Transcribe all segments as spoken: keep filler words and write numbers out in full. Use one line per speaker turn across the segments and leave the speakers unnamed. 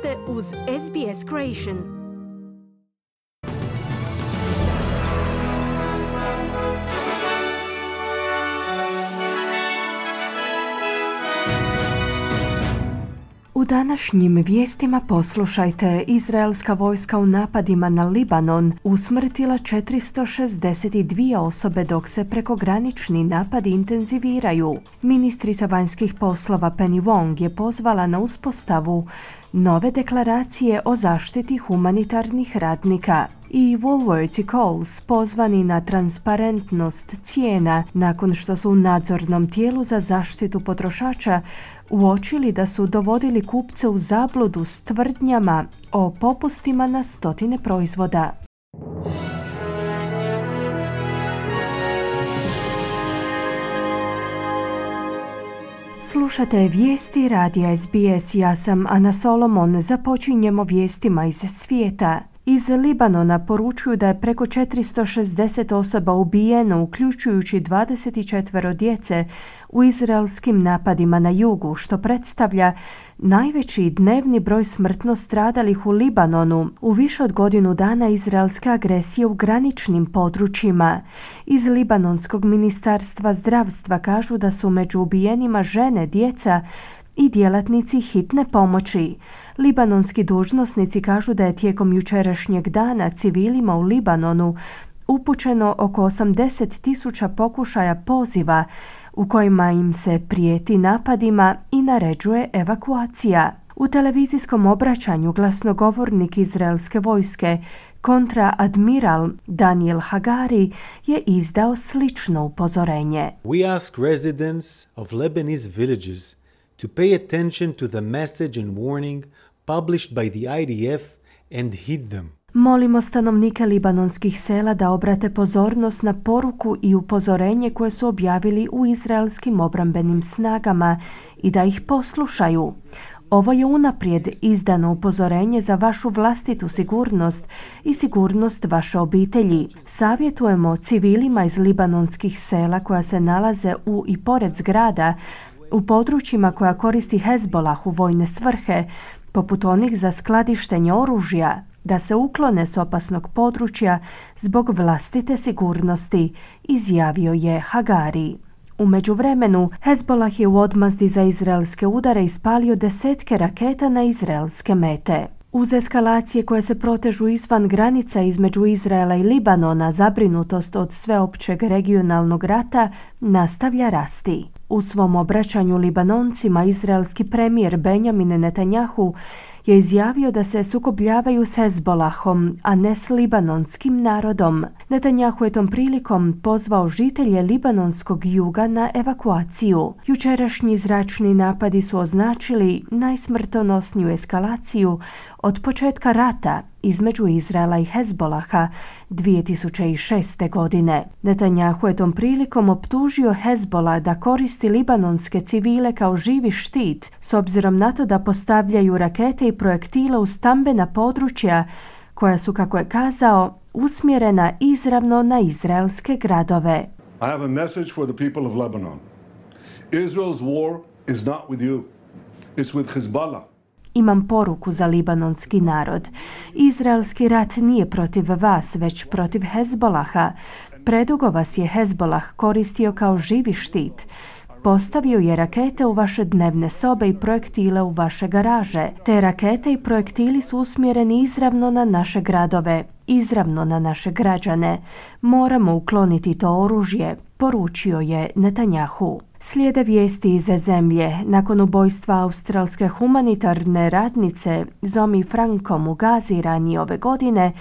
ste uz S B S Creation. U današnjim vijestima poslušajte: izraelska vojska u napadima na Libanon usmrtila četiristo šezdeset dvije osobe dok se prekogranični napadi intenziviraju. Ministrica vanjskih poslova Penny Wong je pozvala na uspostavu nove deklaracije o zaštiti humanitarnih radnika. I Woolworths i Coles pozvani na transparentnost cijena nakon što su u nadzornom tijelu za zaštitu potrošača uočili da su dovodili kupce u zabludu s tvrdnjama o popustima na stotine proizvoda. Slušate vijesti radija S B S, ja sam Ana Solomon. Započinjemo vijestima iz svijeta. Iz Libanona poručuju da je preko četiristo šezdeset osoba ubijeno, uključujući dvadeset četiri djece, u izraelskim napadima na jugu, što predstavlja najveći dnevni broj smrtno stradalih u Libanonu u više od godinu dana izraelske agresije u graničnim područjima. Iz Libanonskog ministarstva zdravstva kažu da su među ubijenima žene, djeca i djelatnici hitne pomoći. Libanonski dužnosnici kažu da je tijekom jučerašnjeg dana civilima u Libanonu upućeno oko osamdeset tisuća pokušaja poziva u kojima im se prijeti napadima i naređuje evakuacija. U televizijskom obraćanju glasnogovornik izraelske vojske, kontraadmiral Daniel Hagari, je izdao slično upozorenje.
We ask residents of Lebanese villages to pay attention to the message and warning published by the I D F and heed them.
Molimo stanovnike libanonskih sela da obrate pozornost na poruku i upozorenje koje su objavili u izraelskim obrambenim snagama i da ih poslušaju. Ovo je unaprijed izdano upozorenje za vašu vlastitu sigurnost i sigurnost vaše obitelji. Savjetujemo civilima iz libanonskih sela koja se nalaze u i pored zgrada u područjima koja koristi Hezbolah u vojne svrhe, poput onih za skladištenje oružja, da se uklone s opasnog područja zbog vlastite sigurnosti, izjavio je Hagari. U međuvremenu, Hezbolah je u odmazdi za izraelske udare ispalio desetke raketa na izraelske mete. Uz eskalacije koje se protežu izvan granica između Izraela i Libanona, zabrinutost od sveopćeg regionalnog rata nastavlja rasti. U svom obraćanju Libanoncima, izraelski premijer Benjamin Netanjahu je izjavio da se sukobljavaju s Hezbolahom, a ne s libanonskim narodom. Netanjahu je tom prilikom pozvao žitelje libanonskog juga na evakuaciju. Jučerašnji zračni napadi su označili najsmrtonosniju eskalaciju od početka rata između Izraela i Hezbolaha dvije tisuće šeste. godine. Netanjahu je tom prilikom optužio Hezbolah da koristi libanonske civile kao živi štit, s obzirom na to da postavljaju rakete i projektile u stambena područja koja su, kako je kazao, usmjerena izravno na izraelske gradove.
I have a message for the people of Lebanon. Israel's war is not with you. It's with Hezbollah.
Imam poruku za libanonski narod. Izraelski rat nije protiv vas, već protiv Hezbolaha. Predugo vas je Hezbolah koristio kao živi štit. Postavio je rakete u vaše dnevne sobe i projektile u vaše garaže. Te rakete i projektili su usmjereni izravno na naše gradove, izravno na naše građane. Moramo ukloniti to oružje, poručio je Netanjahu. Slijede vijesti iz zemlje. Nakon ubojstva australske humanitarne radnice Zoe Frankom u Gazi ranije ove godine,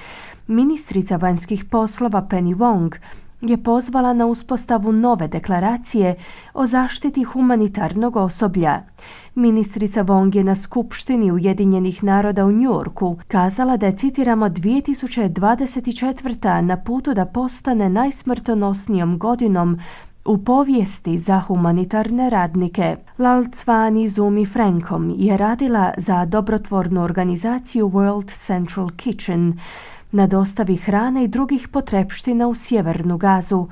ministrica vanjskih poslova Penny Wong je pozvala na uspostavu nove deklaracije o zaštiti humanitarnog osoblja. Ministrica Wong je na skupštini Ujedinjenih naroda u Njujorku kazala da je, citiramo, dvije tisuće dvadeset četvrta. na putu da postane najsmrtonosnijom godinom u povijesti za humanitarne radnike. Lal Cvani Zumi Frankom je radila za dobrotvornu organizaciju World Central Kitchen na dostavi hrane i drugih potrepština u sjevernu Gazu,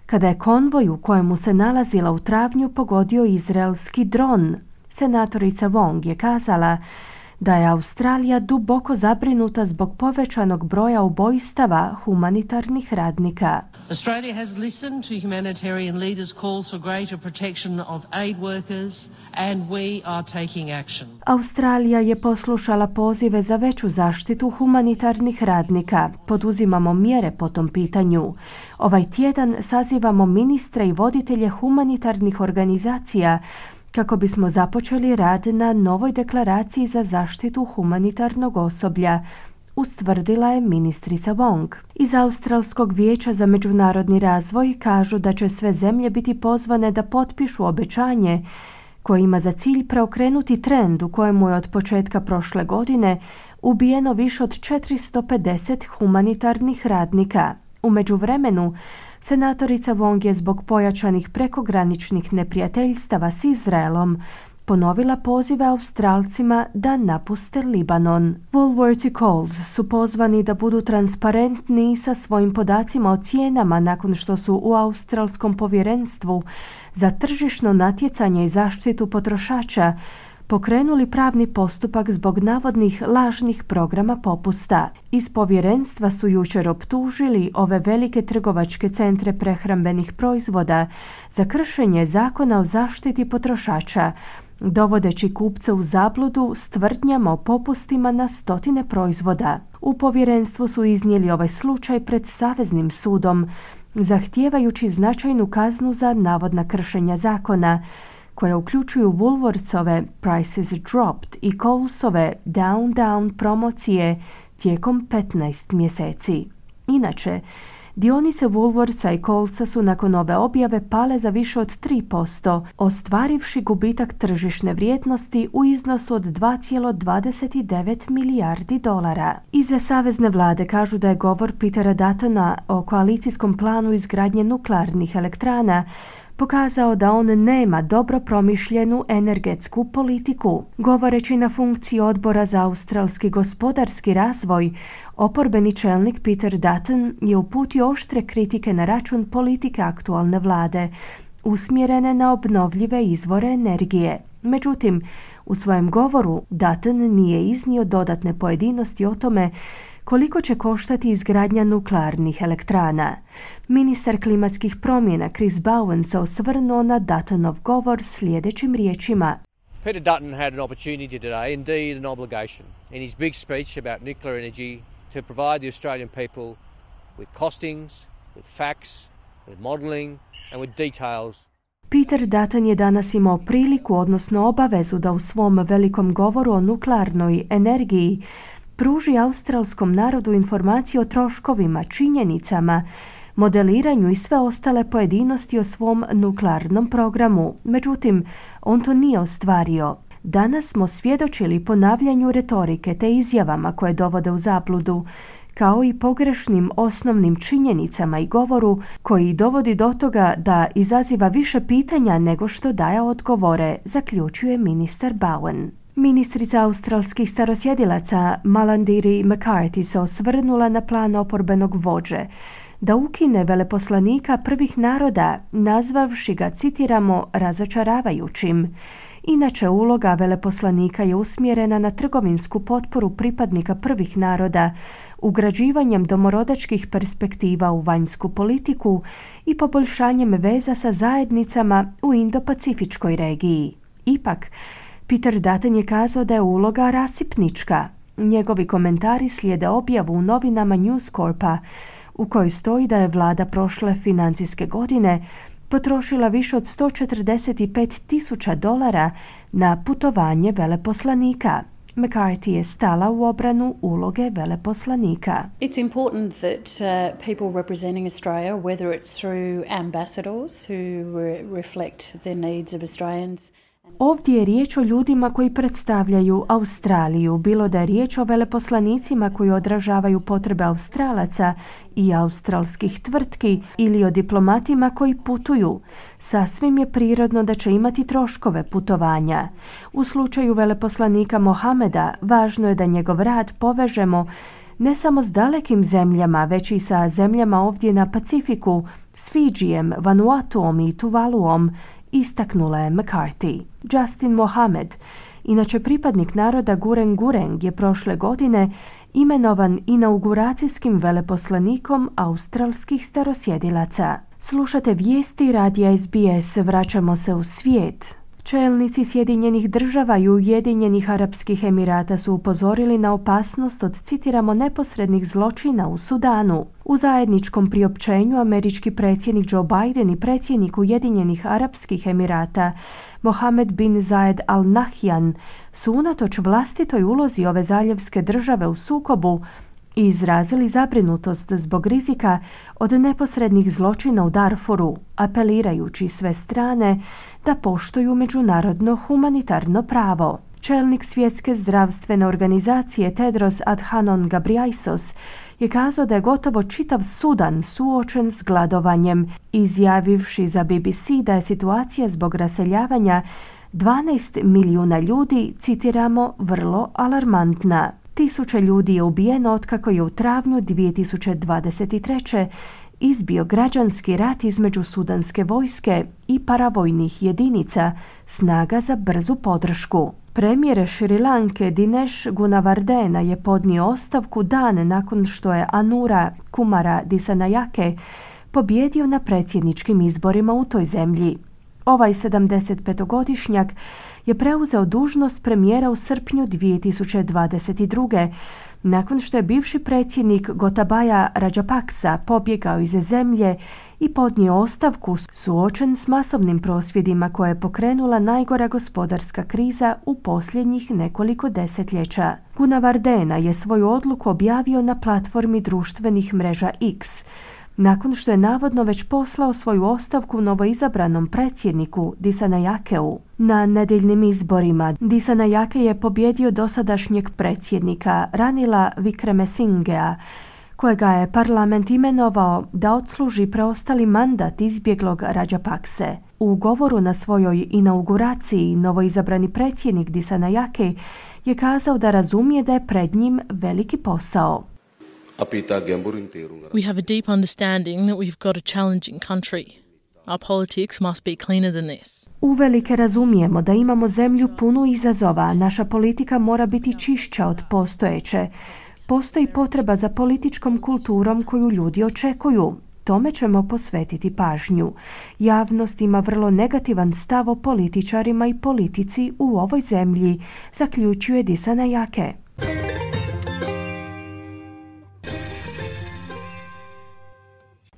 kada je konvoj u kojemu se nalazila u travnju pogodio izraelski dron. Senatorica Wong je kazala da je Australija duboko zabrinuta zbog povećanog broja ubojstava humanitarnih radnika.
Australia has listened to humanitarian leaders' calls for greater protection of aid workers and we are taking action.
Australija je poslušala pozive za veću zaštitu humanitarnih radnika. Poduzimamo mjere po tom pitanju. Ovaj tjedan sazivamo ministre i voditelje humanitarnih organizacija kako bismo započeli rad na novoj deklaraciji za zaštitu humanitarnog osoblja, ustvrdila je ministrica Wong. Iz Australskog vijeća za međunarodni razvoj kažu da će sve zemlje biti pozvane da potpišu obećanje koje ima za cilj preokrenuti trend u kojemu je od početka prošle godine ubijeno više od četiristo pedeset humanitarnih radnika. U međuvremenu, senatorica Wong je zbog pojačanih prekograničnih neprijateljstava s Izraelom ponovila pozive Australcima da napuste Libanon. Woolworths i Coles su pozvani da budu transparentni sa svojim podacima o cijenama nakon što su u Australskom povjerenstvu za tržišno natjecanje i zaštitu potrošača pokrenuli pravni postupak zbog navodnih lažnih programa popusta. Iz povjerenstva su jučer optužili ove velike trgovačke centre prehrambenih proizvoda za kršenje zakona o zaštiti potrošača, dovodeći kupce u zabludu s tvrdnjama o popustima na stotine proizvoda. U povjerenstvu su iznijeli ovaj slučaj pred Saveznim sudom, zahtijevajući značajnu kaznu za navodna kršenja zakona, koje uključuju Woolworthsove Prices Dropped i Colesove Down Down promocije tijekom petnaest mjeseci. Inače, dionice Woolworthsa i Colesa su nakon ove objave pale za više od tri posto, ostvarivši gubitak tržišne vrijednosti u iznosu od dva zarez dvadeset devet milijardi dolara. Iza savezne vlade kažu da je govor Petera Duttona o koalicijskom planu izgradnje nuklearnih elektrana pokazao da on nema dobro promišljenu energetsku politiku. Govoreći na funkciji odbora za australski gospodarski razvoj, oporbeni čelnik Peter Dutton je uputio oštre kritike na račun politike aktualne vlade, usmjerene na obnovljive izvore energije. Međutim, u svojem govoru Dutton nije iznio dodatne pojedinosti o tome koliko će koštati izgradnja nuklearnih elektrana. Ministar klimatskih promjena Chris Bowen se osvrnuo na Duttonov govor sljedećim riječima.
Peter Dutton had an opportunity today, indeed an obligation, in his big speech about nuclear energy to provide the Australian people with costings, with facts, with modelling and with details.
Peter Dutton je danas imao priliku, odnosno obavezu, da u svom velikom govoru o nuklearnoj energiji pruži australskom narodu informacije o troškovima, činjenicama, modeliranju i sve ostale pojedinosti o svom nuklearnom programu. Međutim, on to nije ostvario. Danas smo svjedočili ponavljanju retorike te izjavama koje dovode u zabludu, kao i pogrešnim osnovnim činjenicama i govoru koji dovodi do toga da izaziva više pitanja nego što daje odgovore, zaključuje ministar Bowen. Ministrica australskih starosjedilaca Malarndirri McCarthy se osvrnula na plan oporbenog vođe da ukine veleposlanika prvih naroda, nazvavši ga, citiramo, razočaravajućim. Inače, uloga veleposlanika je usmjerena na trgovinsku potporu pripadnika prvih naroda, ugrađivanjem domorodačkih perspektiva u vanjsku politiku i poboljšanjem veza sa zajednicama u Indo-Pacifičkoj regiji. Ipak, Peter Dutton je kazao da je uloga rasipnička. Njegovi komentari slijede objavu u novinama News Corpa, u kojoj stoji da je vlada prošle financijske godine potrošila više od sto četrdeset pet tisuća dolara na putovanje veleposlanika. McCarthy je stala u obranu uloge veleposlanika.
It's important that uh, people representing Australia, whether it's through ambassadors who re- reflect the needs of Australians.
Ovdje je riječ o ljudima koji predstavljaju Australiju, bilo da je riječ o veleposlanicima koji odražavaju potrebe Australaca i australskih tvrtki ili o diplomatima koji putuju. Sasvim je prirodno da će imati troškove putovanja. U slučaju veleposlanika Mohameda važno je da njegov rad povežemo ne samo s dalekim zemljama, već i sa zemljama ovdje na Pacifiku, s Fidžijem, Vanuatuom i Tuvaluom, istaknula je McCarthy. Justin Mohamed Inače, pripadnik naroda Gureng Gureng je prošle godine imenovan inauguracijskim veleposlanikom australskih starosjedilaca. Slušate vijesti radija S B S, vraćamo se u svijet. Čelnici Sjedinjenih država i Ujedinjenih Arapskih Emirata su upozorili na opasnost od, citiramo, neposrednih zločina u Sudanu. U zajedničkom priopćenju američki predsjednik Joe Biden i predsjednik Ujedinjenih Arapskih Emirata Mohammed bin Zayed Al Nahyan su unatoč vlastitoj ulozi ove zaljevske države u sukobu i izrazili zabrinutost zbog rizika od neposrednih zločina u Darfuru, apelirajući sve strane da poštuju međunarodno humanitarno pravo. Čelnik Svjetske zdravstvene organizacije Tedros Adhanom Ghebreyesus je kazao da je gotovo čitav Sudan suočen s gladovanjem, izjavivši za B B C da je situacija zbog raseljavanja dvanaest milijuna ljudi, citiramo, vrlo alarmantna. Tisuće ljudi je ubijeno otkako je u travnju dvije tisuće dvadeset treće izbio građanski rat između sudanske vojske i paravojnih jedinica snaga za brzu podršku. Premijer Šri Lanke Dinesh Gunawardena je podnio ostavku dan nakon što je Anura Kumara Dissanayake pobjedio na predsjedničkim izborima u toj zemlji. Ovaj sedamdesetpetogodišnjak je preuzeo dužnost premijera u srpnju dvije tisuće dvadeset druge nakon što je bivši predsjednik Gotabaya Rajapaksa pobjegao iz zemlje i podnio ostavku suočen s masovnim prosvjedima koje je pokrenula najgora gospodarska kriza u posljednjih nekoliko desetljeća. Gunawardena je svoju odluku objavio na platformi društvenih mreža X, nakon što je navodno već poslao svoju ostavku novoizabranom predsjedniku Dissanayakeu. Na nedjeljnim izborima Dissanayake je pobjedio dosadašnjeg predsjednika Ranila Wickremesingea, kojega je parlament imenovao da odsluži preostali mandat izbjeglog Rajapakse. U govoru na svojoj inauguraciji novoizabrani predsjednik Dissanayake je kazao da razumije da je pred njim veliki posao.
We have a deep understanding that we've got a challenging country. Our politics must be cleaner than this.
Uvelike razumijemo da imamo zemlju punu izazova, naša politika mora biti čišća od postojeće. Postoji potreba za političkom kulturom koju ljudi očekuju. Tome ćemo posvetiti pažnju. Javnost ima vrlo negativan stav o političarima i politici u ovoj zemlji, zaključuje Dissanayake.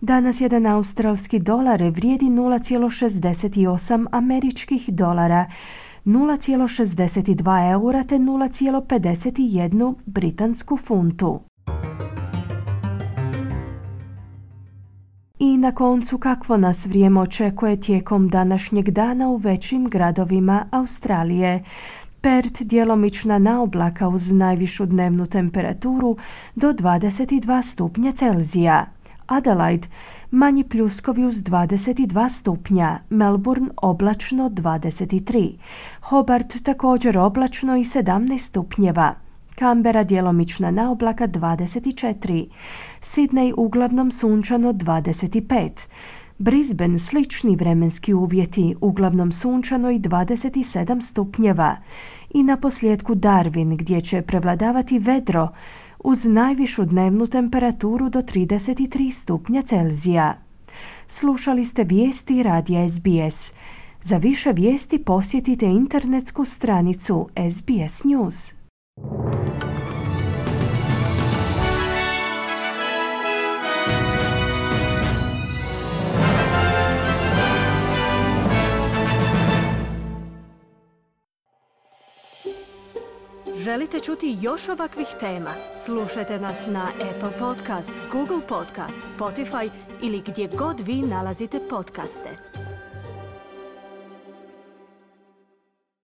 Danas jedan australski dolar vrijedi nula zarez šezdeset osam američkih dolara, nula zarez šezdeset dva eura te nula zarez pedeset jedan britansku funtu. I na koncu, kakvo nas vrijeme očekuje tijekom današnjeg dana u većim gradovima Australije. Perth djelomična naoblaka uz najvišu dnevnu temperaturu do dvadeset dva stupnja Celzija. Adelaide manji pljuskovi uz dvadeset dva stupnja, Melbourne oblačno dvadeset tri, Hobart također oblačno i sedamnaest stupnjeva, Canberra djelomična naoblaka dvadeset četiri, Sydney uglavnom sunčano dvadeset pet, Brisbane slični vremenski uvjeti, uglavnom sunčano i dvadeset sedam stupnjeva i na posljedku Darwin gdje će prevladavati vedro uz najvišu dnevnu temperaturu do trideset tri stupnja Celzija. Slušali ste vijesti radija S B S. Za više vijesti posjetite internetsku stranicu S B S News. Želite čuti još ovakvih tema? Slušajte nas na Apple Podcast, Google Podcast, Spotify ili gdje god vi nalazite podcaste.